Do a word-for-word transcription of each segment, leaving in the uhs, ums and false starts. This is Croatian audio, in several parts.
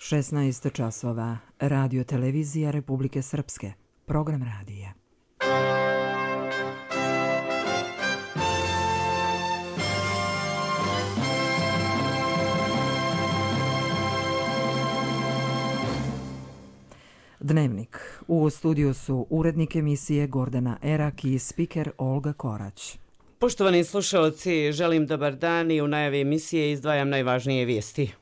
šesnaest časova. Radio televizija Republike Srpske. Program radija. Dnevnik. U studiju su urednik emisije Gordana Erak i spiker Olga Korać. Poštovani slušalci, želim dobar dan i u najavi emisije izdvajam najvažnije vijesti.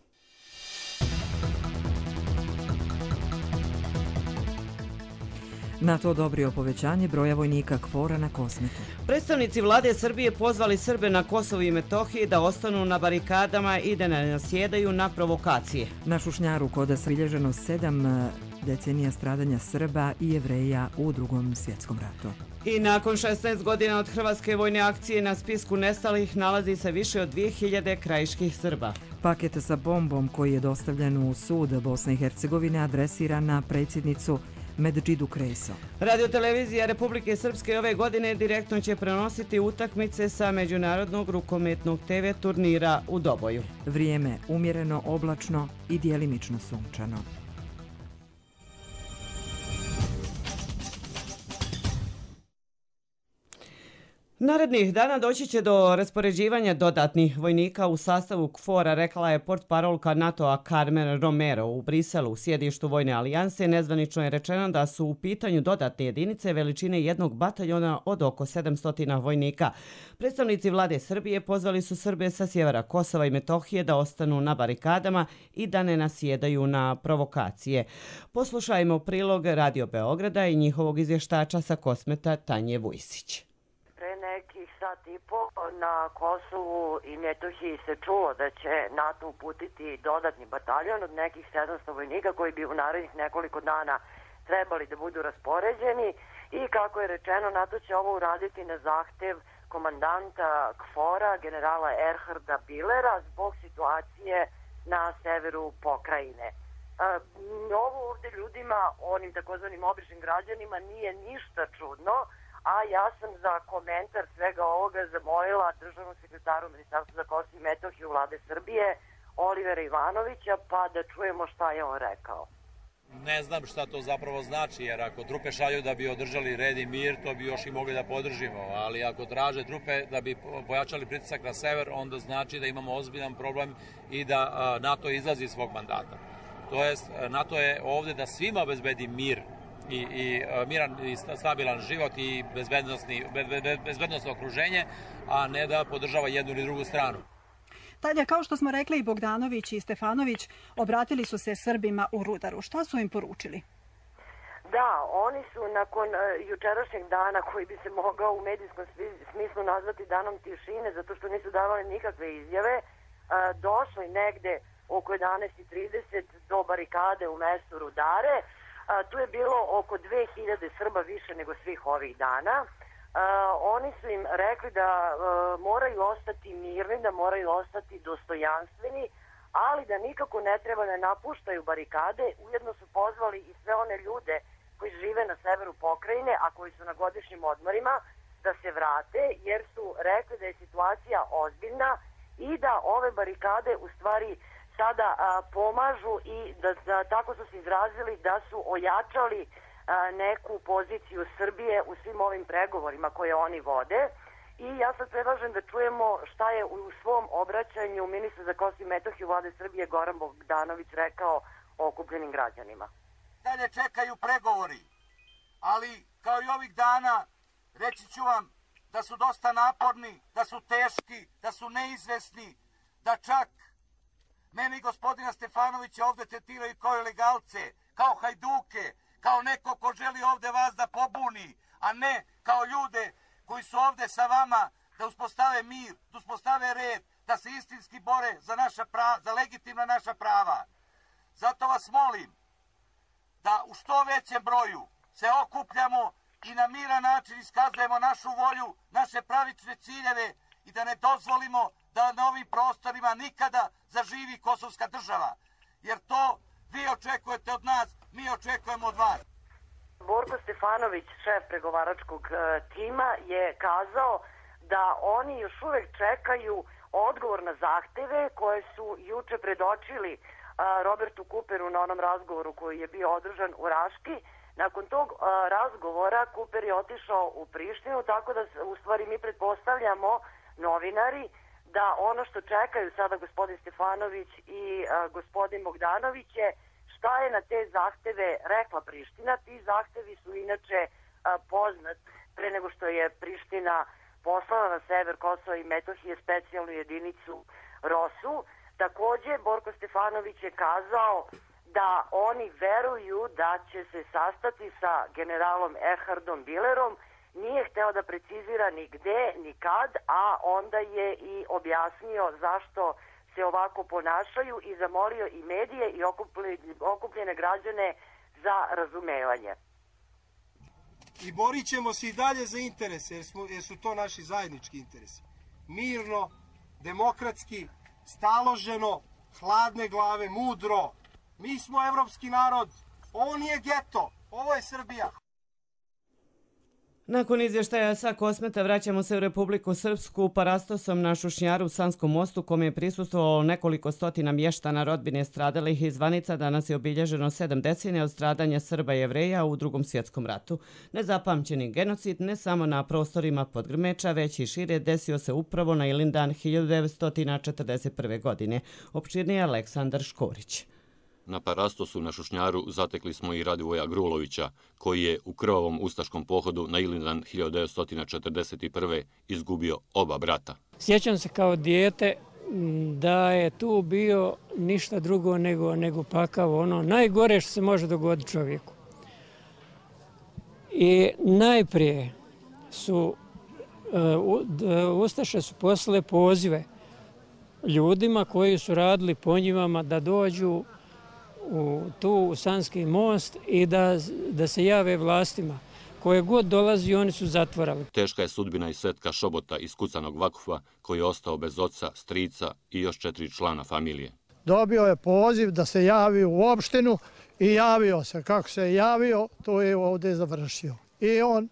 NATO odobrio povećanje broja vojnika KFOR-a na Kosmetu. Predstavnici vlade Srbije pozvali Srbe na Kosovu i Metohiji da ostanu na barikadama i da ne nasjedaju na provokacije. Na Šušnjaru kod zabilježeno sedam decenija stradanja Srba i Jevreja u Drugom svjetskom ratu. I nakon šesnaest godina od hrvatske vojne akcije na spisku nestalih nalazi se više od dvije hiljade krajiških Srba. Paket sa bombom koji je dostavljen u sud Bosne i Hercegovine adresira na predsjednicu Medžidu Kreso. Radiotelevizija Republike Srpske ove godine direktno će prenositi utakmice sa međunarodnog rukometnog te ve turnira u Doboju. Vrijeme umjereno, oblačno i djelimično sunčano. Narednih dana doći će do raspoređivanja dodatnih vojnika u sastavu KFOR-a, rekla je portparolka NATO-a Carmen Romero u Briselu, u sjedištu Vojne alijanse. Nezvanično je rečeno da su u pitanju dodatne jedinice veličine jednog bataljona od oko sedamsto vojnika. Predstavnici vlade Srbije pozvali su Srbe sa sjevera Kosova i Metohije da ostanu na barikadama i da ne nasjedaju na provokacije. Poslušajmo prilog Radio Beograda i njihovog izvještača sa Kosmeta Tanje Vujsić. Nekih sat i po na Kosovu i Metohiji se čulo da će NATO uputiti dodatni bataljon od nekih sedamsto vojnika koji bi u narednih nekoliko dana trebali da budu raspoređeni i kako je rečeno NATO će ovo uraditi na zahtev komandanta KFOR-a generala Erharda Bilera zbog situacije na severu pokrajine. Ovo ovdje ljudima, onim takozvanim običnim građanima, nije ništa čudno, a ja sam za komentar svega ovoga zamolila državnog sekretaru Ministarstva za Kosovo i Metohiju vlade Srbije, Olivera Ivanovića, pa da čujemo šta je on rekao. Ne znam šta to zapravo znači, jer ako trupe šalju da bi održali red i mir, to bi još i mogli da podržimo, ali ako traže trupe da bi pojačali pritisak na sever, onda znači da imamo ozbiljan problem i da NATO izlazi iz svog mandata. To jest, NATO je ovdje da svima obezbedi mir i, i miran i stabilan život i bezbednosno okruženje, a ne da podržava jednu ili drugu stranu. Tanja, kao što smo rekli, i Bogdanović i Stefanović obratili su se Srbima u Rudaru. Šta su im poručili? Da, oni su nakon uh, jučerašnjeg dana, koji bi se mogao u medijskom smislu nazvati danom tišine, zato što nisu davali nikakve izjave, uh, došli negde oko jedanaest i trideset do barikade u mestu Rudare. A, tu je bilo oko dve hiljade Srba više nego svih ovih dana. A, oni su im rekli da a, moraju ostati mirni, da moraju ostati dostojanstveni, ali da nikako ne treba da napuštaju barikade. Ujedno su pozvali i sve one ljude koji žive na severu pokrajine, a koji su na godišnjim odmorima, da se vrate, jer su rekli da je situacija ozbiljna i da ove barikade u stvari sada a, pomažu i da, da tako su se izrazili da su ojačali a, neku poziciju Srbije u svim ovim pregovorima koje oni vode. I ja sad predlažem da čujemo šta je u svom obraćanju ministar za Kosovo i Metohiju vlade Srbije Goran Bogdanović rekao o okupljenim građanima. Dalje čekaju pregovori, ali kao i ovih dana reći ću vam da su dosta naporni, da su teški, da su neizvesni, da čak meni gospodina Stefanovića ovdje tretiraju kao ilegalce, kao hajduke, kao neko ko želi ovdje vas da pobuni, a ne kao ljude koji su ovdje sa vama da uspostave mir, da uspostave red, da se istinski bore za, naša prava, za legitimna naša prava. Zato vas molim da u što većem broju se okupljamo i na miran način iskazujemo našu volju, naše pravične ciljeve i da ne dozvolimo da na ovim prostorima nikada zaživi kosovska država. Jer to vi očekujete od nas, mi očekujemo od vas. Borko Stefanović, šef pregovaračkog tima, je kazao da oni još uvek čekaju odgovor na zahteve koje su juče predočili Robertu Cooperu na onom razgovoru koji je bio održan u Raški. Nakon tog a, razgovora Cooper je otišao u Prištinu, tako da u stvari mi pretpostavljamo novinari da ono što čekaju sada gospodin Stefanović i a, gospodin Bogdanović je šta je na te zahteve rekla Priština. Ti zahtevi su inače a, poznat pre nego što je Priština poslala na sever Kosova i Metohije specijalnu jedinicu Rosu. Takođe, Borko Stefanović je kazao da oni veruju da će se sastati sa generalom Erhardom Bilerom. Nije hteo da precizira ni gde, ni kad, a onda je i objasnio zašto se ovako ponašaju i zamolio i medije i okupljene građane za razumevanje. I borit ćemo se i dalje za interese, jer, smo, jer su to naši zajednički interesi. Mirno, demokratski, staloženo, hladne glave, mudro. Mi smo evropski narod, ovo nije geto, ovo je Srbija. Nakon izvještaja sa Kosmeta vraćamo se u Republiku Srpsku parastosom na Šušnjaru u Sanskom mostu, kome je prisustvovalo nekoliko stotina mještana rodbine stradalih iz Vanica. Danas je obilježeno sedam decenija od stradanja Srba i Jevreja u Drugom svjetskom ratu. Nezapamćeni genocid ne samo na prostorima Podgrmeča, već i šire desio se upravo na Ilindan hiljadu devetsto četrdeset prve. godine. Opširnije Aleksandar Škorić. Na parastosu na Šušnjaru zatekli smo i Radivoja Grulovića, koji je u krvavom ustaškom pohodu na Ilindan hiljadu devetsto četrdeset prve. izgubio oba brata. Sjećam se kao dijete da je tu bio ništa drugo nego, nego pakav, ono najgore što se može dogoditi čovjeku. I najprije su uh, ustaše su poslale pozive ljudima koji su radili po njivama da dođu u tu u Sanski most i da, da se jave vlastima. Koje god dolazi, oni su zatvorali. Teška je sudbina i Svetka Šobota iz kucanog Vakufa, koji je ostao bez oca, strica i još četiri člana familije. Dobio je poziv da se javi u opštinu i javio se. Kako se javio, to je ovdje završio. I on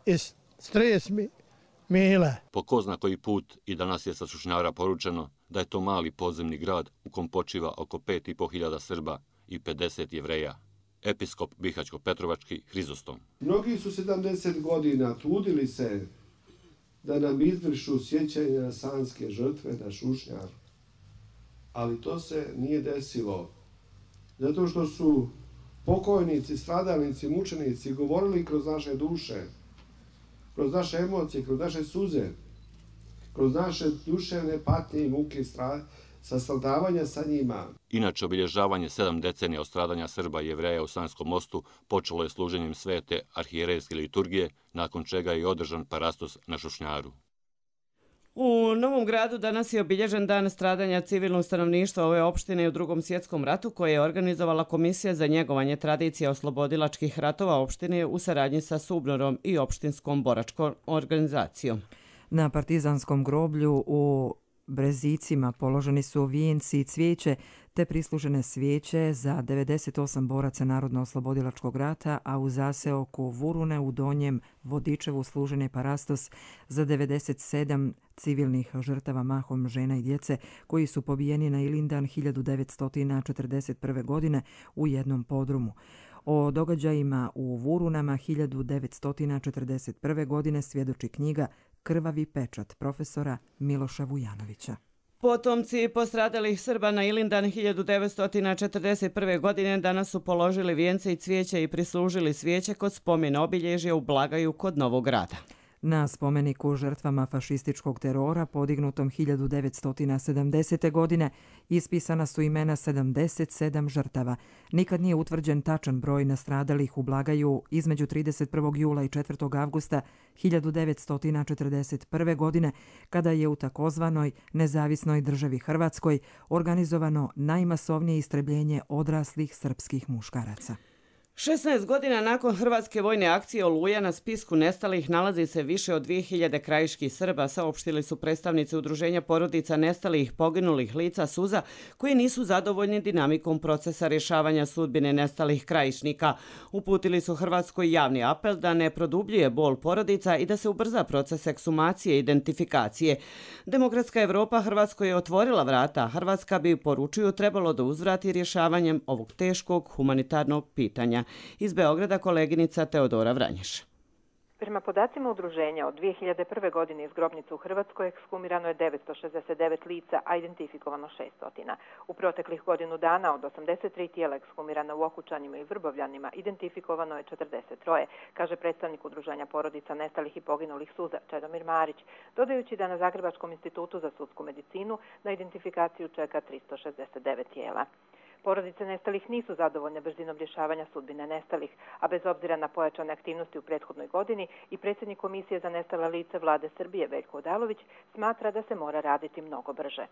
iz stric Mile. Po ko zna koji put i danas je sa Šušnjara poručeno da je to mali podzemni grad u kom počiva oko pet i po hiljada Srba i pedeset Jevreja. Episkop Bihaćko-Petrovački Hrizostom. Mnogi su sedamdeset godina trudili se da nam izvršu sjećanje na sanske žrtve na Šušnjar. Ali to se nije desilo. Zato što su pokojnici, stradalnici, mučenici govorili kroz naše duše, kroz naše emocije, kroz naše suze, kroz naše duševne patnje i muke sa stradavanja sa njima. Inače, obilježavanje sedam decenija od stradanja Srba i Jevreja u Sanskom mostu počelo je služenjem svete arhijerejske liturgije, nakon čega je održan parastos na Šušnjaru. U Novom Gradu danas je obilježen dan stradanja civilnog stanovništva ove opštine u Drugom svjetskom ratu, koje je organizovala Komisija za njegovanje tradicije oslobodilačkih ratova opštine u saradnji sa Subnorom i opštinskom boračkom organizacijom. Na partizanskom groblju u Brezicima položeni su vijenci i cvijeće te prislužene svijeće za devedeset osam boraca Narodno-oslobodilačkog rata, a u zaseoku Vurune u Donjem Vodičevu služen je parastos za devedeset sedam civilnih žrtava, mahom žena i djece, koji su pobijeni na Ilindan hiljadu devetsto četrdeset prve. godine u jednom podrumu. O događajima u Vurunama hiljadu devetsto četrdeset prve. godine svjedoči knjiga Krvavi pečat profesora Miloša Vujanovića. Potomci postradalih Srba na Ilindan hiljadu devetsto četrdeset prve. godine danas su položili vijence i cvijeće i prislužili svijeće kod spomena obilježja u Blagaju kod Novog Grada. Na spomeniku žrtvama fašističkog terora podignutom hiljadu devetsto sedamdesete. godine ispisana su imena sedamdeset sedam žrtava. Nikad nije utvrđen tačan broj nastradalih u Blagaju između trideset prvog jula i četvrtog avgusta hiljadu devetsto četrdeset prve. godine, kada je u takozvanoj nezavisnoj državi Hrvatskoj organizovano najmasovnije istrebljenje odraslih srpskih muškaraca. šesnaest godina nakon hrvatske vojne akcije Oluja na spisku nestalih nalazi se više od dvije hiljade krajiških Srba, saopštili su predstavnici Udruženja porodica nestalih poginulih lica Suza, koji nisu zadovoljni dinamikom procesa rješavanja sudbine nestalih krajišnika. Uputili su Hrvatskoj javni apel da ne produbljuje bol porodica i da se ubrza proces ekshumacije i identifikacije. Demokratska Evropa Hrvatskoj je otvorila vrata, Hrvatska bi, poručuju, trebalo da uzvrati rješavanjem ovog teškog humanitarnog pitanja. Iz Beograda koleginica Teodora Vranješ. Prema podacima udruženja, od dvije hiljade prve. godine iz grobnica u Hrvatskoj ekshumirano je devetsto šezdeset devet lica, a identifikovano šesnaest. U proteklih godinu dana od osamdeset tri tijela ekshumirana u Okučanima i Vrbovljanima identifikovano je četrdeset tri, kaže predstavnik udruženja porodica nestalih i poginulih Suza Čedomir Marić, dodajući da na Zagrebačkom institutu za sudsku medicinu na identifikaciju čeka tristo šezdeset devet tijela. Porodice nestalih nisu zadovoljne brzinom rješavanja sudbine nestalih, a bez obzira na pojačane aktivnosti u prethodnoj godini i predsjednik Komisije za nestala lica Vlade Srbije Veljko Odalović smatra da se mora raditi mnogo brže.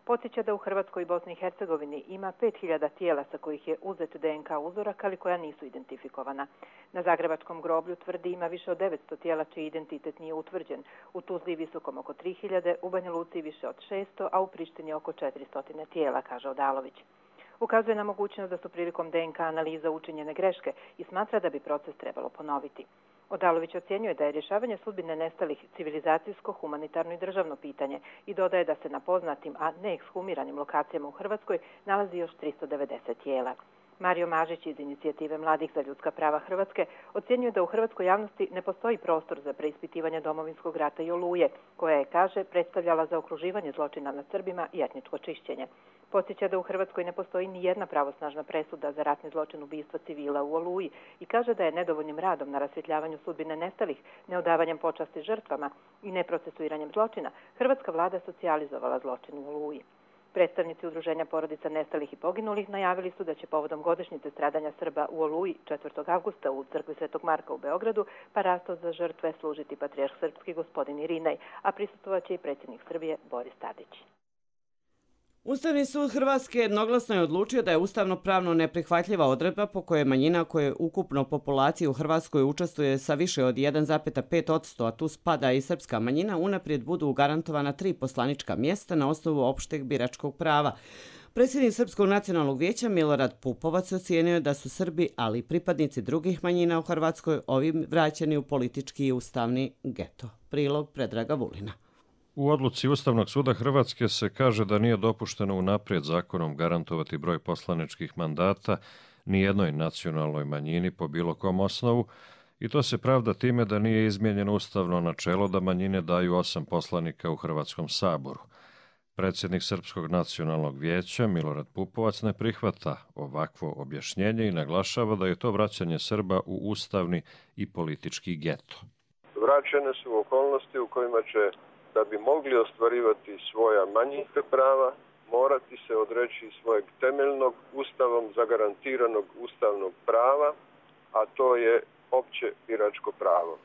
Podsjeća da u Hrvatskoj i Bosni i Hercegovini ima pet hiljada tijela sa kojih je uzet D N K uzorak, ali koja nisu identifikovana. Na Zagrebačkom groblju tvrdi ima više od devetsto tijela čiji identitet nije utvrđen. U Tuzli visokom oko tri hiljade, u Banja Luci više od šesto, a u Prištini oko četiristo tijela, kaže Odalović. Ukazuje na mogućnost da su prilikom D N K analiza učinjene greške i smatra da bi proces trebalo ponoviti. Odalović ocjenjuje da je rješavanje sudbine nestalih civilizacijsko, humanitarno i državno pitanje i dodaje da se na poznatim, a ne ekshumiranim lokacijama u Hrvatskoj nalazi još tristo devedeset tijela. Mario Mažić iz Inicijative mladih za ljudska prava Hrvatske ocjenjuje da u hrvatskoj javnosti ne postoji prostor za preispitivanje Domovinskog rata i Oluje, koja je, kaže, predstavljala zaokruživanje zločina nad Srbima i etničko čišćenje. Podsjeća da u Hrvatskoj ne postoji ni jedna pravosnažna presuda za ratni zločin ubistva civila u Oluji i kaže da je nedovoljnim radom na rasvjetljavanju sudbine nestalih, neodavanjem počasti žrtvama i neprocesuiranjem zločina, hrvatska vlada socijalizovala zločin u Oluji. Predstavnici Udruženja porodica nestalih i poginulih najavili su da će povodom godišnjice stradanja Srba u Oluji četvrtog avgusta u crkvi Svetog Marka u Beogradu parasto za žrtve služiti patrijarh srpski gospodin Irinej, a prisustvovaće i predsjednik Srbije Boris Tadić. Ustavni sud Hrvatske jednoglasno je odlučio da je ustavno-pravno neprihvatljiva odredba po kojoj manjina koje ukupno populaciji u Hrvatskoj učestvuje sa više od jedan zarez pet posto, a tu spada i srpska manjina, unaprijed budu garantovana tri poslanička mjesta na osnovu opšteg biračkog prava. Predsjednik Srpskog nacionalnog vijeća Milorad Pupovac ocijenio da su Srbi, ali i pripadnici drugih manjina u Hrvatskoj ovim vraćeni u politički i ustavni geto. Prilog Predraga Vulina. U odluci Ustavnog suda Hrvatske se kaže da nije dopušteno unaprijed zakonom garantovati broj poslaničkih mandata ni jednoj nacionalnoj manjini po bilo kom osnovu i to se pravda time da nije izmijenjeno ustavno načelo da manjine daju osam poslanika u Hrvatskom saboru. Predsjednik Srpskog nacionalnog vijeća Milorad Pupovac ne prihvata ovakvo objašnjenje i naglašava da je to vraćanje Srba u ustavni i politički geto. Vraćene su okolnosti u kojima će, da bi mogli ostvarivati svoja manjinska prava, morati se odreći svojeg temeljnog ustavom zagarantiranog ustavnog prava, a to je opće biračko pravo.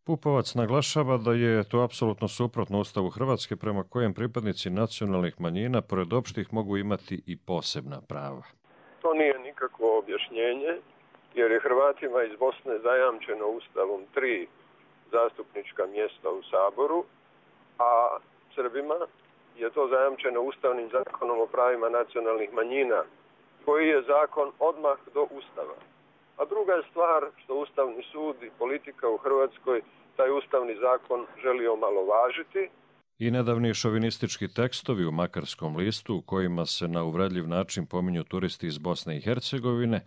Pupovac naglašava da je to apsolutno suprotno Ustavu Hrvatske prema kojem pripadnici nacionalnih manjina pored opštih mogu imati i posebna prava. To nije nikakvo objašnjenje, jer je Hrvatima iz Bosne zajamčeno Ustavom tri zastupnička mjesta u Saboru, a Srbima je to zajamčeno Ustavnim zakonom o pravima nacionalnih manjina, koji je zakon odmah do Ustava. A druga je stvar što Ustavni sud i politika u Hrvatskoj taj Ustavni zakon želi omalovažiti. I nedavni šovinistički tekstovi u Makarskom listu u kojima se na uvredljiv način pominju turisti iz Bosne i Hercegovine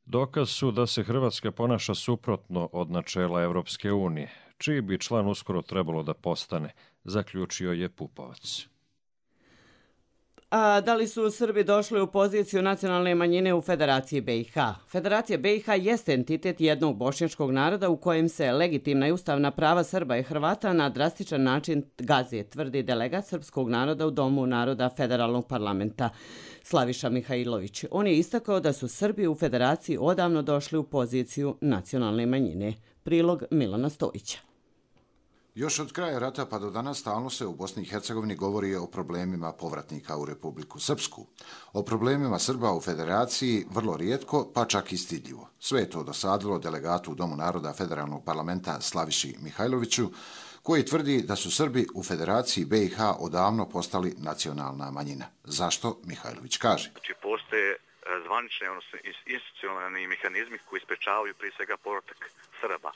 dokaz su da se Hrvatska ponaša suprotno od načela Evropske unije, čiji bi član uskoro trebalo da postane, zaključio je Pupovac. A da li su Srbi došli u poziciju nacionalne manjine u Federaciji B i H? Federacija B i H jeste entitet jednog bošnjačkog naroda u kojem se legitimna i ustavna prava Srba i Hrvata na drastičan način gaze, tvrdi delegat srpskog naroda u Domu naroda Federalnog parlamenta Slaviša Mihajlović. On je istakao da su Srbi u Federaciji odavno došli u poziciju nacionalne manjine. Prilog Milana Stojića. Još od kraja rata pa do danas stalno se u Bosni i Hercegovini govori o problemima povratnika u Republiku Srpsku. O problemima Srba u Federaciji vrlo rijetko, pa čak i stidljivo. Sve je to dosadilo delegatu u Domu naroda Federalnog parlamenta Slaviši Mihajloviću, koji tvrdi da su Srbi u Federaciji B i H odavno postali nacionalna manjina. Zašto? Mihajlović kaže. Znači, postoje zvanični, odnosno institucionalni mehanizmi koji sprečavaju prije svega povratak Srba.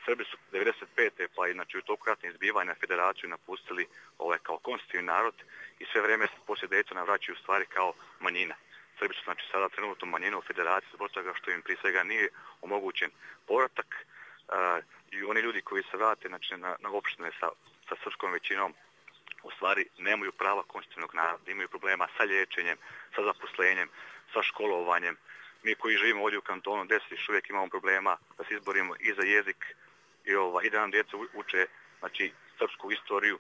Srbi su devedeset pete pa i znači, u toku ratnih zbivanja Federaciju napustili ovaj, kao konstitutivni narod i sve vrijeme poslije Daytona vraćaju u stvari kao manjina. Srbi su znači, sada trenutno manjina u Federaciji zbog toga što im prije svega nije omogućen povratak uh, i oni ljudi koji se vrate znači, na, na opštine sa, sa srpskom većinom u stvari nemaju prava konstitutivnog naroda, imaju problema sa liječenjem, sa zaposlenjem, sa školovanjem. Mi koji živimo ovdje u kantonu deset još uvijek imamo problema da se izborimo i za jezik i, ova, i da nam djeca uče znači, srpsku istoriju.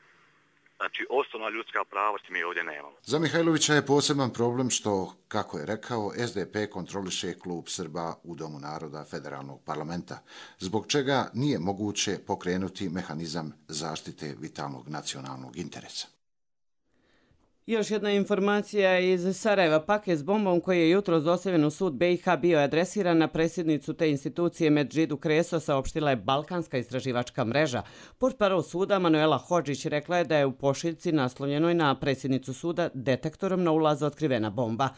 Znači, osnovna ljudska prava mi ovdje nemamo. Za Mihajlovića je poseban problem što, kako je rekao, S D P kontroliše klub Srba u Domu naroda Federalnog parlamenta, zbog čega nije moguće pokrenuti mehanizam zaštite vitalnog nacionalnog interesa. Još jedna informacija iz Sarajeva. Paket s bombom koji je jutros dostavljen u sud B i H bio je adresiran na predsjednicu te institucije Medžidu Kreso, saopštila je Balkanska istraživačka mreža. Portparol suda Manuela Hodžić rekla je da je u pošiljci naslovljenoj na predsjednicu suda detektorom na ulazu otkrivena bomba.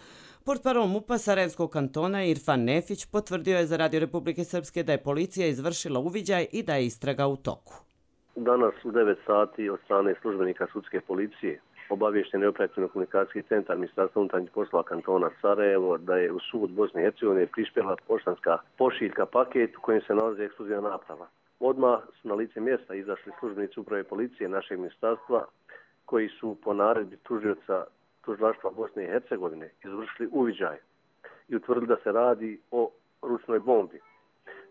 Portparol MUP-a Sarajevskog kantona Irfan Nefić potvrdio je za Radio Republike Srpske da je policija izvršila uviđaj i da je istraga u toku. Danas u devet sati od strane službenika sudske policije obavješten je operativno-komunikacijski centar Ministarstva unutarnjih poslova kantona Sarajevo da je u sud Bosne i Hercegovine prispjela poštanska pošiljka paket u kojem se nalazi eksplozivna naprava. Odmah su na lice mjesta izašli službenici uprave policije našeg ministarstva koji su po naredbi tužioca tužilaštva Bosne i Hercegovine izvršili uviđaj i utvrdili da se radi o ručnoj bombi.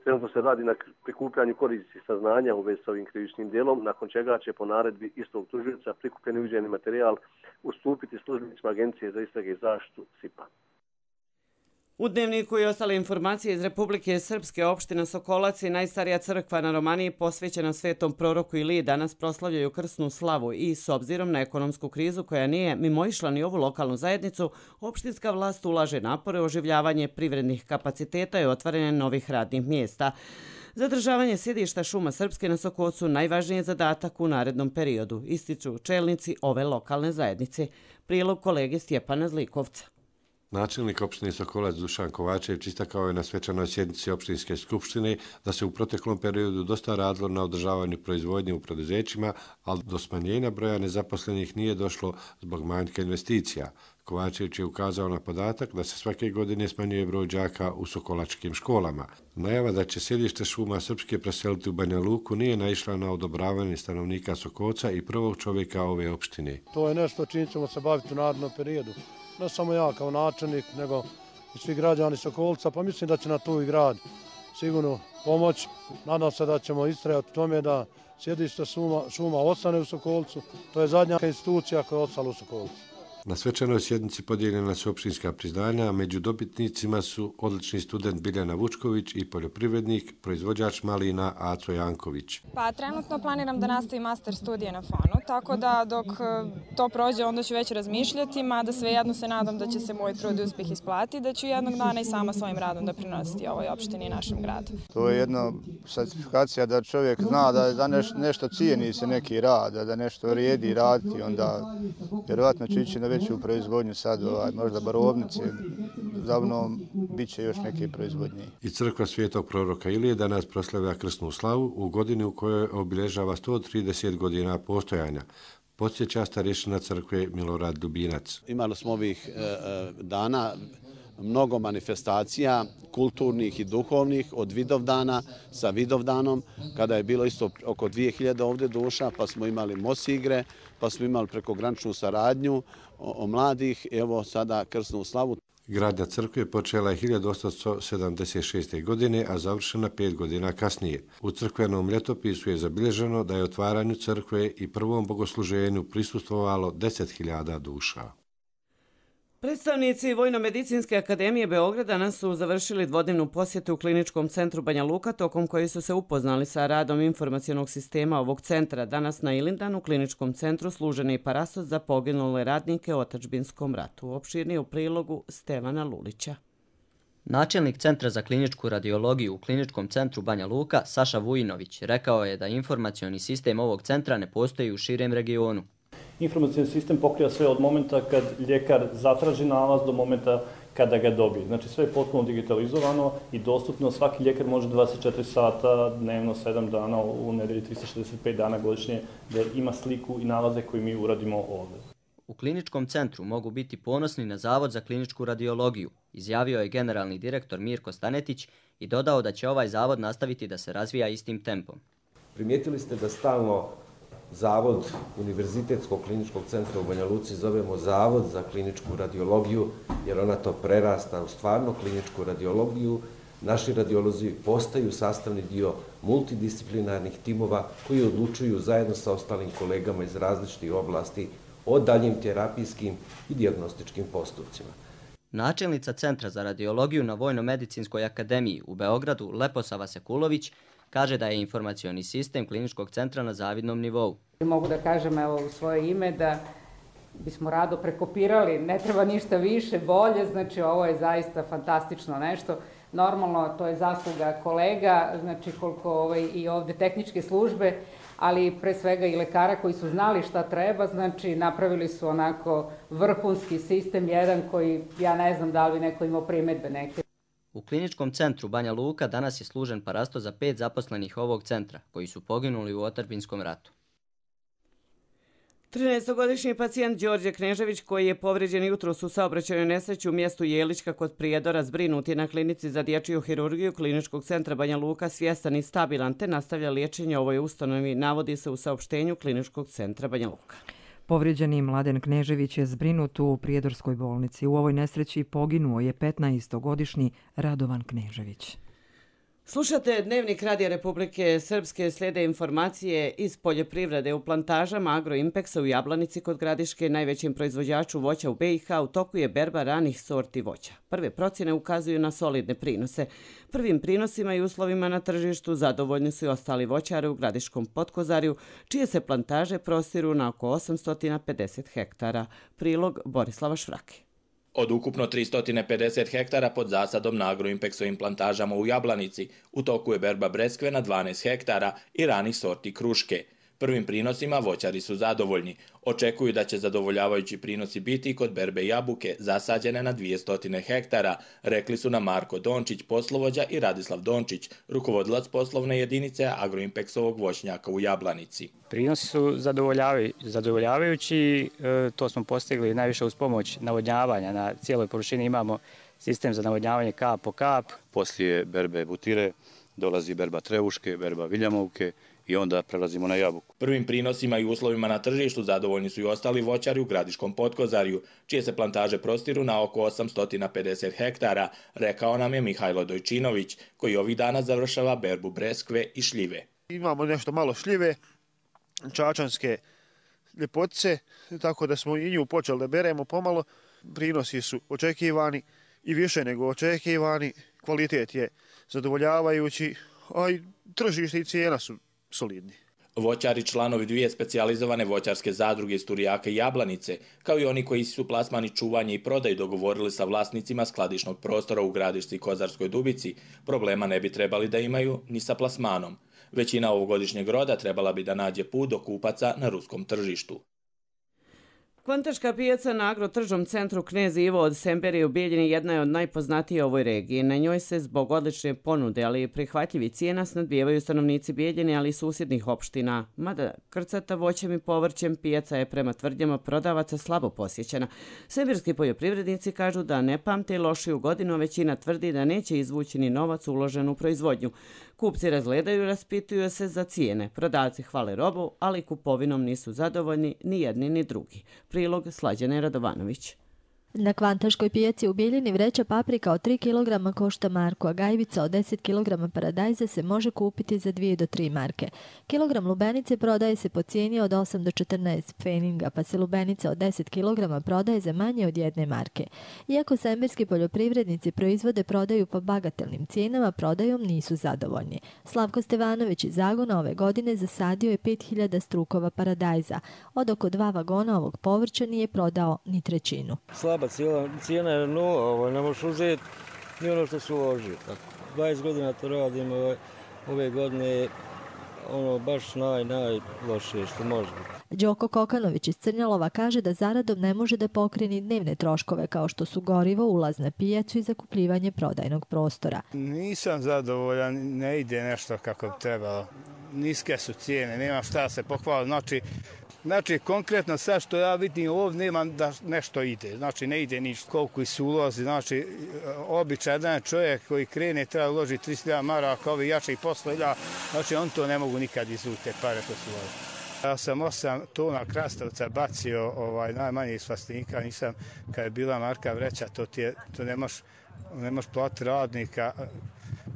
Trenutno se radi na prikupljanju korisnih saznanja u vezi s ovim krivičnim djelom, nakon čega će po naredbi istog tužioca prikupljeni uviđajni materijal ustupiti službenicima Agencije za istrage i zaštitu S I P-a. U Dnevniku i ostale informacije iz Republike Srpske, opština Sokolac i najstarija crkva na Romaniji posvećena svetom proroku Iliji danas proslavljaju krsnu slavu i s obzirom na ekonomsku krizu koja nije mimoišla ni ovu lokalnu zajednicu, opštinska vlast ulaže napore u oživljavanje privrednih kapaciteta i otvaranje novih radnih mjesta. Zadržavanje sjedišta Šuma Srpske na Sokolcu najvažniji je zadatak u narednom periodu, ističu čelnici ove lokalne zajednice. Prilog kolege Stjepana Zlikovca. Načelnik opštine Sokolac Dušan Kovačević istakao je na svečanoj sjednici opštinske skupštine da se u proteklom periodu dosta radilo na održavanju proizvodnje u preduzećima, ali do smanjenja broja nezaposlenih nije došlo zbog manjka investicija. Kovačević je ukazao na podatak da se svake godine smanjuje broj đaka u sokolačkim školama. Najava da će sjedište Šuma Srpske preseliti u Banja Luku nije naišla na odobravanje stanovnika Sokolca i prvog čovjeka ove opštine. To je nešto čim ćemo se baviti u narednom periodu. Ne samo ja kao načelnik, nego i svi građani Sokolca, pa mislim da će na tu i grad sigurno pomoći. Nadam se da ćemo istrajati u tome da sjedište šuma, šuma ostane u Sokolcu. To je zadnja institucija koja je ostala u Sokolcu. Na svečanoj sjednici podijeljena su opštinska priznanja, a među dobitnicima su odlični student Biljana Vučković i poljoprivrednik, proizvođač malina Aco Janković. Pa trenutno planiram da nastavim master studije na Fonu, tako da dok to prođe onda ću već razmišljati, mada svejedno se nadam da će se moj trud i uspjeh isplatiti, da ću jednog dana i sama svojim radom da prinositi ovoj opštini i našem gradu. To je jedna certifikacija da čovjek zna da za neš, nešto cijeni se neki rad, da nešto vrijedi raditi, onda vjerovatno će ići na veću proizvodnju sad, ovaj, možda barovnice, zavnom bit će još neke proizvodnje. I crkva Svetog proroka Ilije danas proslavlja krsnu slavu u godini u kojoj obilježava sto trideset godina postojanja. Podsjeća starješina crkve Milorad Dubinac. Imali smo ovih e, dana mnogo manifestacija kulturnih i duhovnih od Vidovdana sa Vidovdanom, kada je bilo isto oko dvije hiljade ovdje duša, pa smo imali mosigre, pa smo imali prekograničnu saradnju o, o mladih, evo sada krsnu slavu. Gradnja crkve počela je hiljadu osamsto sedamdeset šeste. godine, a završena pet godina kasnije. U crkvenom ljetopisu je zabilježeno da je otvaranju crkve i prvom bogosluženju prisustvovalo deset hiljada duša. Predstavnici Vojno-medicinske akademije Beograda danas su završili dvodnevnu posjetu u kliničkom centru Banja Luka, tokom koji su se upoznali sa radom informacionog sistema ovog centra. Danas na Ilindanu u kliničkom centru služen je i parastos za poginule radnike u otadžbinskom ratu. Opširnije u prilogu Stevana Lulića. Načelnik Centra za kliničku radiologiju u kliničkom centru Banja Luka, Saša Vujinović, rekao je da informacioni sistem ovog centra ne postoji u širem regionu. Informacioni sistem pokriva sve od momenta kad ljekar zatraži nalaz do momenta kada ga dobije. Znači sve je potpuno digitalizovano i dostupno. Svaki ljekar može dvadeset četiri sata dnevno, sedam dana u nedelji, trista šezdeset pet dana godišnje da ima sliku i nalaze koje mi uradimo ovdje. U kliničkom centru mogu biti ponosni na Zavod za kliničku radiologiju, izjavio je generalni direktor Mirko Stanetić i dodao da će ovaj zavod nastaviti da se razvija istim tempom. Primijetili ste da stalno Zavod Univerzitetskog kliničkog centra u Banja Luci zovemo Zavod za kliničku radiologiju, jer ona to prerasta u stvarno kliničku radiologiju. Naši radiolozi postaju sastavni dio multidisciplinarnih timova koji odlučuju zajedno sa ostalim kolegama iz različitih oblasti o daljim terapijskim i dijagnostičkim postupcima. Načelnica Centra za radiologiju na Vojno-medicinskoj akademiji u Beogradu, Leposava Sekulović, kaže da je informacioni sistem kliničkog centra na zavidnom nivou. Mogu da kažem evo, u svoje ime da bismo rado prekopirali, ne treba ništa više, bolje, znači ovo je zaista fantastično nešto. Normalno to je zasluga kolega, znači koliko ovaj, i ovde tehničke službe, ali pre svega i lekara koji su znali šta treba, znači napravili su onako vrhunski sistem, jedan koji ja ne znam da li neko imao primedbe neke. U kliničkom centru Banja Luka danas je služen parastos za pet zaposlenih ovog centra, koji su poginuli u otadžbinskom ratu. trinaestogodišnji pacijent Đorđe Knežević, koji je povređen jutros u saobraćajnoj nesreći u mjestu Jelička kod Prijedora, zbrinut je na klinici za dječju hirurgiju kliničkog centra Banja Luka, svjestan i stabilan, te nastavlja liječenje ovoj ustanovi, navodi se u saopštenju kliničkog centra Banja Luka. Povrijeđeni Mladen Knežević je zbrinut u Prijedorskoj bolnici. U ovoj nesreći poginuo je petnaestogodišnji Radovan Knežević. Slušate Dnevnik Radija Republike Srpske, slijede informacije iz poljoprivrede. U plantažama Agroimpeksa u Jablanici kod Gradiške, najvećim proizvođaču voća u B i H, u toku je berba ranih sorti voća. Prve procjene ukazuju na solidne prinose. Prvim prinosima i uslovima na tržištu zadovoljni su i ostali voćari u Gradiškom Potkozarju, čije se plantaže prostiru na oko osamsto pedeset hektara. Prilog Borislava Švrake. Od ukupno tristo pedeset hektara pod zasadom na Agroimpeksovim plantažama u Jablanici, u toku je berba breskve na dvanaest hektara i ranih sorti kruške. Prvim prinosima voćari su zadovoljni. Očekuju da će zadovoljavajući prinosi biti i kod berbe jabuke, zasađene na dvjesto hektara, rekli su nam Marko Dončić, poslovođa, i Radislav Dončić, rukovodilac poslovne jedinice Agroimpeksovog voćnjaka u Jablanici. Prinosi su zadovoljavajući, to smo postigli najviše uz pomoć navodnjavanja. Na cijeloj površini imamo sistem za navodnjavanje kap po kap. Poslije berbe butire dolazi berba trevuške, berba viljamovke, i onda prelazimo na jabuku. Prvim prinosima i uslovima na tržištu zadovoljni su i ostali voćari u Gradiškom Potkozarju, čije se plantaže prostiru na oko osamsto pedeset hektara, rekao nam je Mihajlo Dojčinović, koji ovih dana završava berbu breskve i šljive. Imamo nešto malo šljive, čačanske ljepotice, tako da smo i nju počeli da beremo pomalo. Prinosi su očekivani i više nego očekivani, kvalitet je zadovoljavajući, a i tržište i cijena su solidni. Voćari, članovi dvije specijalizovane voćarske zadruge iz Turijaka i Jablanice, kao i oni koji su plasmani, čuvanje i prodaju dogovorili sa vlasnicima skladišnog prostora u Gradišci i Kozarskoj Dubici, problema ne bi trebali da imaju ni sa plasmanom. Većina ovogodišnjeg roda trebala bi da nađe put do kupaca na ruskom tržištu. Kvantaška pijaca na agrotržnom centru Knez Ivo od Semberije u Bijeljini jedna je od najpoznatije u ovoj regiji. Na njoj se zbog odlične ponude, ali i prihvatljivih cijena snadbijevaju stanovnici Bijeljine, ali i susjednih opština. Mada krcata voćem i povrćem, pijaca je prema tvrdnjama prodavaca slabo posjećena. Semberski poljoprivrednici kažu da ne pamte lošiju godinu, a većina tvrdi da neće izvući ni novac uložen u proizvodnju. Kupci razgledaju i raspituju se za cijene. Prodavci hvale robu, ali kupovinom nisu zadovoljni ni jedni ni drugi. Prilog Slađane Radovanović. Na Kvantaškoj pijaci u Bijeljini vreća paprika od tri kilograma košta marku, a gajbica od deset kilograma paradajza se može kupiti za dvije do tri marke. Kilogram lubenice prodaje se po cijeni od osam do četrnaest pfeninga, pa se lubenica od deset kilograma prodaje za manje od jedne marke. Iako semberski poljoprivrednici proizvode prodaju po bagatelnim cijenama, prodajom nisu zadovoljni. Slavko Stevanović iz Zagona ove godine zasadio je pet hiljada strukova paradajza. Od oko dva vagona ovog povrća nije prodao ni trećinu. Slaba cijela, cijena je nula, ovaj, ne možeš uzeti ni ono što se uloži. dvadeset godina to radim, ovaj, ove godine je ono baš naj, najlošije što može biti. Đoko Kokanović iz Crnjalova kaže da zaradom ne može da pokrije ni dnevne troškove kao što su gorivo, ulaz na pijacu i zakupljivanje prodajnog prostora. Nisam zadovoljan, ne ide nešto kako bi trebalo. Niske su cijene, nema šta se pohvaliti. Znači, Znači, konkretno sad što ja vidim ovdje nema da nešto ide. Znači, ne ide ništa. Koliko su ulozi. Znači, običajan čovjek koji krene treba uložiti tristo hiljada maraka, ovi jači posla hiljada. Znači, on to ne mogu nikad izvuti, te pare ko su uložili. Ja sam osam tona krastavca bacio ovaj, najmanje iz Fastinika. Nisam, kad je bila marka vreća, to, ti je, to ne možeš ne možeš platiti radnika.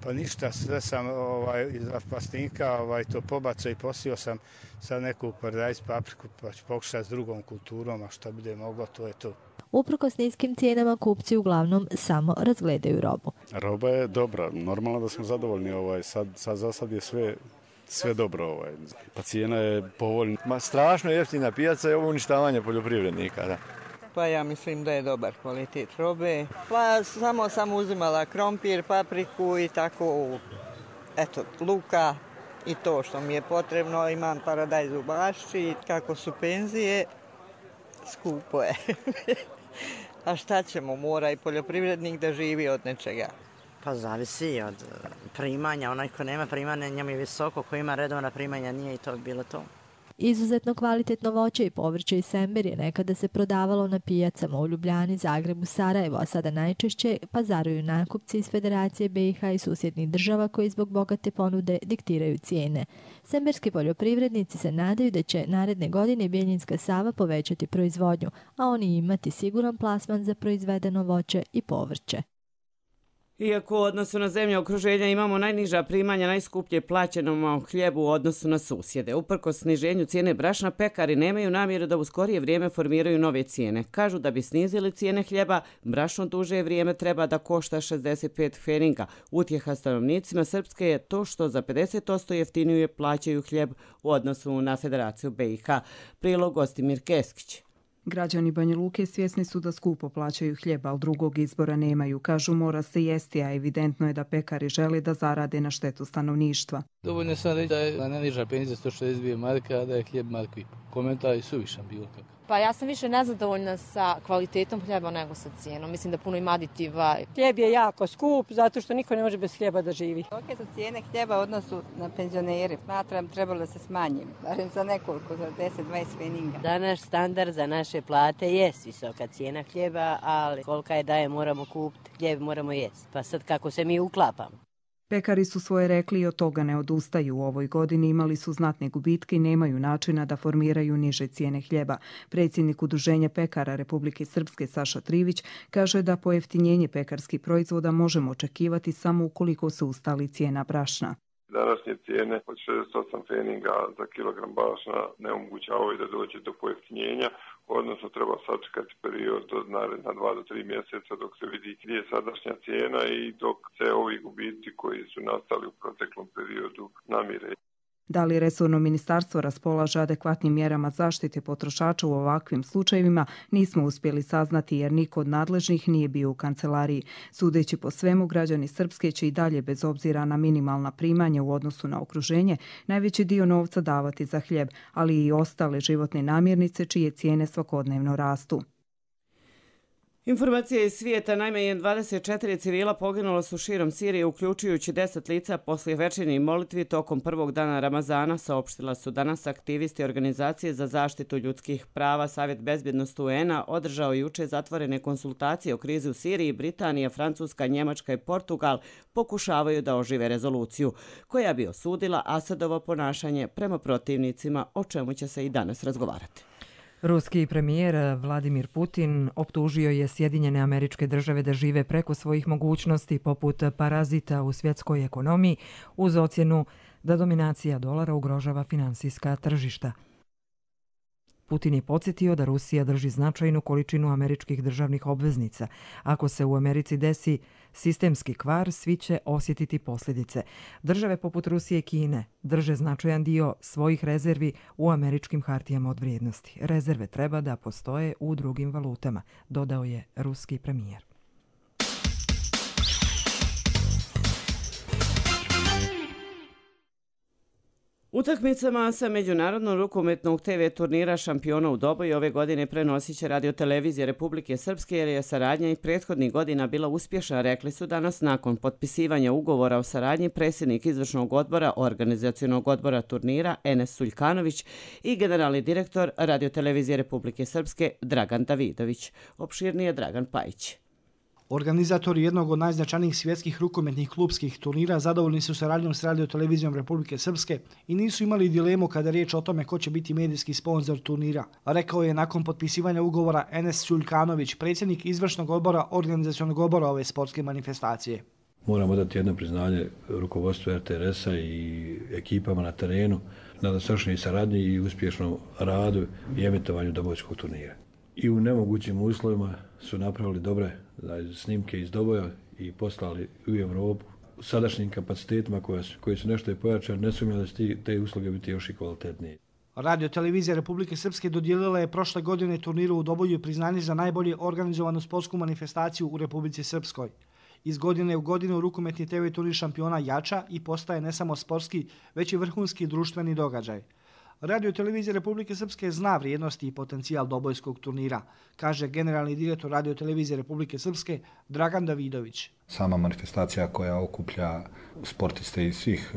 Pa ništa, sve sam ovaj, iz Fastinika ovaj, to pobacao i posio sam sad neku paradajz papriku, pa ću pokušati s drugom kulturom, a što bude moglo, to je to. Uprkos niskim cijenama kupci uglavnom samo razgledaju robu. Roba je dobra, normalno da smo zadovoljni, ovaj, sad, sad za sad je sve, sve dobro. Ovaj. Pa cijena je povoljna. Ma strašno jeftina pijaca je ovo uništavanje poljoprivrednika, da. Pa ja mislim da je dobar kvalitet robe. Pa samo sam uzimala krompir, papriku i tako, eto, luka i to što mi je potrebno. Imam paradajz u bašči, kako su penzije, skupo je. A šta ćemo, mora i poljoprivrednik da živi od nečega. Pa zavisi od primanja, onaj ko nema primanja njemu je visoko, ko ima redovna primanja nije i to bilo to. Izuzetno kvalitetno voće i povrće iz Sember je nekada se prodavalo na pijacama u Ljubljani, Zagrebu, Sarajevo, a sada najčešće pazaruju nakupci iz Federacije B i H i susjednih država koji zbog bogate ponude diktiraju cijene. Semberski poljoprivrednici se nadaju da će naredne godine Bijeljinska Sava povećati proizvodnju, a oni imati siguran plasman za proizvedeno voće i povrće. Iako u odnosu na zemlje okruženja imamo najniža primanja najskuplje plaćenom hljebu u odnosu na susjede. Uprkos sniženju cijene brašna, pekari nemaju namjeru da u skorije vrijeme formiraju nove cijene. Kažu da bi snizili cijene hljeba, brašno duže vrijeme treba da košta šezdeset pet pfeninga. Utjeha stanovnicima Srpske je to što za pedeset posto jeftinije plaćaju hljeb u odnosu na Federaciju B i H. Prilog Gostimir Keskić. Građani Banja Luke svjesni su da skupo plaćaju hljeb, ali drugog izbora nemaju. Kažu mora se jesti, a evidentno je da pekari žele da zarade na štetu stanovništva. Dovoljno sam reći da je najniža penzija sto šezdeset dvije marke, a da je hljeb marku i po. Komentar je suvišan bilo kako. Pa ja sam više nezadovoljna sa kvalitetom hljeba nego sa cijenom. Mislim da puno ima aditiva. Hljeb je jako skup zato što niko ne može bez hljeba da živi. Kolike su cijene hljeba u odnosu na penzionere? Smatram trebalo da se smanji, barem za nekoliko, za deset do dvadeset pfeninga. Danas standard za naše plate je visoka cijena hljeba, ali kolika je daje moramo kupiti, hljeb moramo jesti. Pa sad kako se mi uklapamo. Pekari su svoje rekli i od toga ne odustaju. U ovoj godini imali su znatne gubitke i nemaju načina da formiraju niže cijene hljeba. Predsjednik Udruženja pekara Republike Srpske Saša Trivić kaže da pojeftinjenje pekarskih proizvoda možemo očekivati samo ukoliko se ustali cijena brašna. Današnje cijene od šezdeset osam pfeninga za kilogram brašna ne omogućavaju da dođe do pojeftinjenja, odnosno treba sačekati period od naredna dva do tri mjeseca dok se vidi gdje je sadašnja cijena i dok se ovi gubici koji su nastali u proteklom periodu namire. Da li resorno ministarstvo raspolaže adekvatnim mjerama zaštite potrošača u ovakvim slučajevima, nismo uspjeli saznati jer niko od nadležnih nije bio u kancelariji. Sudeći po svemu, građani Srpske će i dalje bez obzira na minimalna primanja u odnosu na okruženje najveći dio novca davati za hljeb, ali i ostale životne namirnice čije cijene svakodnevno rastu. Informacije iz svijeta, najmanje dvadeset četiri civila poginulo su širom Sirije, uključujući deset lica poslije večernjih molitvi tokom prvog dana Ramazana, saopštila su danas aktivisti Organizacije za zaštitu ljudskih prava. Savjet bezbjednosti U N-a održao juče zatvorene konsultacije o krizi u Siriji. Britanija, Francuska, Njemačka i Portugal pokušavaju da ožive rezoluciju koja bi osudila Asadovo ponašanje prema protivnicima, o čemu će se i danas razgovarati. Ruski premijer Vladimir Putin optužio je Sjedinjene Američke Države da žive preko svojih mogućnosti poput parazita u svjetskoj ekonomiji uz ocjenu da dominacija dolara ugrožava finansijska tržišta. Putin je podsjetio da Rusija drži značajnu količinu američkih državnih obveznica. Ako se u Americi desi sistemski kvar, svi će osjetiti posljedice. Države poput Rusije i Kine drže značajan dio svojih rezervi u američkim hartijama od vrijednosti. Rezerve treba da postoje u drugim valutama, dodao je ruski premijer. Utakmicama sa Međunarodnog rukometnog te ve turnira Šampiona u Doboju ove godine prenosit će Radio televizije Republike Srpske jer je saradnja i prethodnih godina bila uspješna, rekli su danas nakon potpisivanja ugovora o saradnji predsjednik izvršnog odbora organizacionog odbora turnira Enes Suljkanović i generalni direktor Radio televizije Republike Srpske Dragan Davidović. Opširnije Dragan Pajić. Organizatori jednog od najznačajnijih svjetskih rukometnih klubskih turnira zadovoljni su saradnjom s Radio televizijom Republike Srpske i nisu imali dilemu kada je riječ o tome ko će biti medijski sponsor turnira. Rekao je nakon potpisivanja ugovora Enes Suljkanović, predsjednik izvršnog odbora organizacionog odbora ove sportske manifestacije. Moramo dati jedno priznanje rukovodstvu er te er es-a i ekipama na terenu na dosadašnjoj saradnji i uspješnom radu i emitovanju dobojskog turnira. I u nemogućim uslovima su napravili dobre snimke iz Doboja i poslali u Evropu sadašnjim kapacitetima koje su, koji su nešto i pojačani, ne sumnjam da će te usluge biti još i kvalitetnije. Radio televizija Republike Srpske dodijelila je prošle godine turniru u Doboju priznanje za najbolje organizovanu sportsku manifestaciju u Republici Srpskoj. Iz godine u godinu rukometni te ve turnir Šampiona jača i postaje ne samo sportski, već i vrhunski društveni događaj. Radio televizija Republike Srpske zna vrijednosti i potencijal dobojskog turnira, kaže generalni direktor Radio televizije Republike Srpske Dragan Davidović. Sama manifestacija koja okuplja sportiste iz svih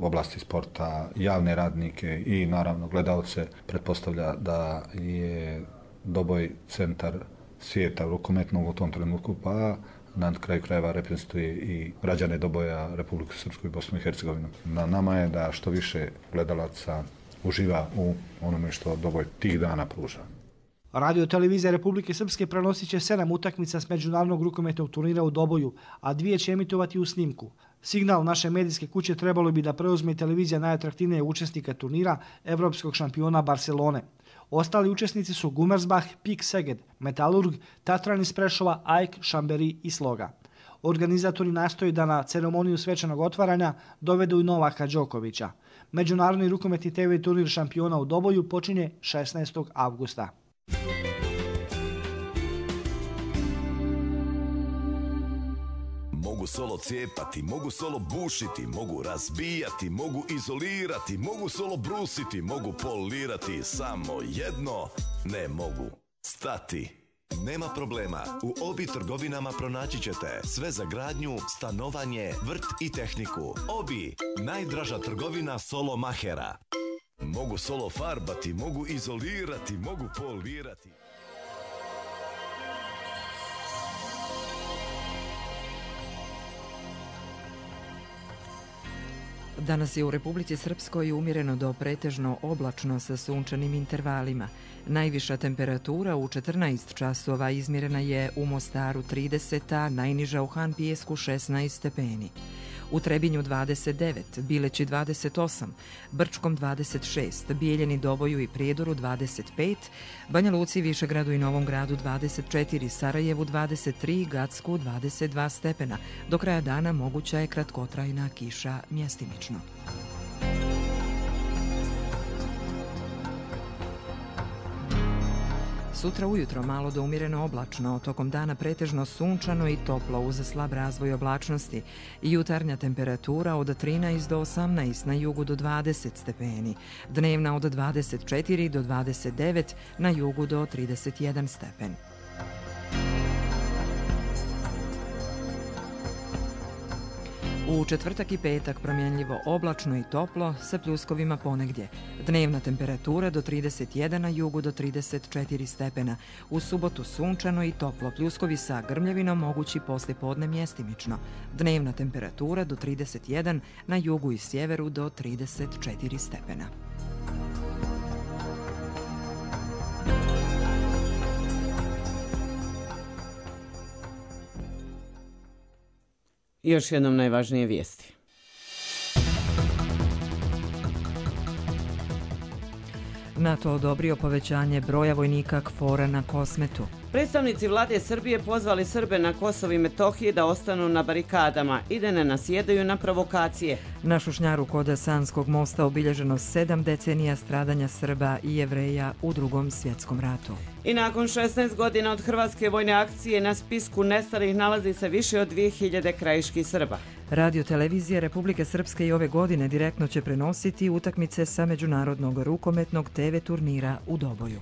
oblasti sporta, javne radnike i naravno gledalce, pretpostavlja da je Doboj centar svijeta rukometnog u tom trenutku, pa na kraju krajeva reprezentuje i građane Doboja, Republike Srpsku i Bosnu i Hercegovinu. Na nama je da što više gledalaca uživa u onome što Doboj tih dana pruža. Radio televizija Republike Srpske prenosit će sedam utakmica s međunarodnog rukometnog turnira u Doboju, a dvije će emitovati u snimku. Signal naše medijske kuće trebalo bi da preuzme televizija najatraktivnije učesnika turnira, evropskog šampiona Barcelone. Ostali učesnici su Gumersbach, Pik Seged, Metalurg, Tatran iz Prešova, Ajk, Šamberi i Sloga. Organizatori nastoji da na ceremoniju svečanog otvaranja dovedu i Novaka Đokovića. Međunarodni rukometni te ve turnir Šampiona u Doboju počinje šesnaestog avgusta. Mogu solo cijepati, mogu solo bušiti, mogu razbijati, mogu izolirati, mogu solo brusiti, mogu polirati, samo jedno ne mogu stati. Nema problema, u Obi trgovinama pronaći ćete sve za gradnju, stanovanje, vrt i tehniku. Obi, najdraža trgovina solo mahera. Mogu solo farbati, mogu izolirati, mogu polirati. Danas je u Republici Srpskoj umjereno do pretežno oblačno sa sunčanim intervalima. Najviša temperatura u četrnaest časova izmjerena je u Mostaru trideset, a najniža u Han Pijesku šesnaest stepeni. U Trebinju dvadeset devet, Bileći dvadeset osam, Brčkom dvadeset šest, Bijeljeni, Doboju i Prijedoru dvadeset pet, Banja Luci, Višegradu i Novom Gradu dvadeset četiri, Sarajevu dvadeset tri, Gacku dvadeset dva stepena. Do kraja dana moguća je kratkotrajna kiša mjestimično. Sutra ujutro malo do umjereno oblačno, tokom dana pretežno sunčano i toplo uz slab razvoj oblačnosti. Jutarnja temperatura od trinaest do osamnaest, na jugu do dvadeset stepeni. Dnevna od dvadeset četiri do dvadeset devet, na jugu do trideset jedan stepen. U četvrtak i petak promjenljivo oblačno i toplo sa pljuskovima ponegdje. Dnevna temperatura do trideset jedan, na jugu do trideset četiri stepena. U subotu sunčano i toplo, pljuskovi sa grmljavinom mogući poslijepodne mjestimično. Dnevna temperatura do trideset jedan, na jugu i sjeveru do trideset četiri stepena. Još jednom najvažnije vijesti. NATO odobrio povećanje broja vojnika KFOR-a na Kosmetu. Predstavnici vlade Srbije pozvali Srbe na Kosovu i Metohiji da ostanu na barikadama i da ne nasjedaju na provokacije. Na Šušnjaru kod Sanskog mosta obilježeno sedam decenija stradanja Srba i Jevreja u Drugom svjetskom ratu. I nakon šesnaest godina od hrvatske vojne akcije na spisku nestalih nalazi se više od dvije hiljade krajiških Srba. Radio televizija Republike Srpske i ove godine direktno će prenositi utakmice sa međunarodnog rukometnog te ve turnira u Doboju.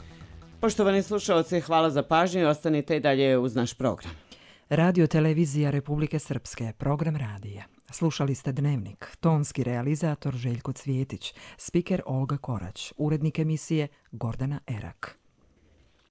Poštovani slušalci, hvala za pažnju i ostanite i dalje uz naš program. Radio televizija Republike Srpske, program radija. Slušali ste Dnevnik, tonski realizator Željko Cvjetić, spiker Olga Korać, urednik emisije Gordana Erak.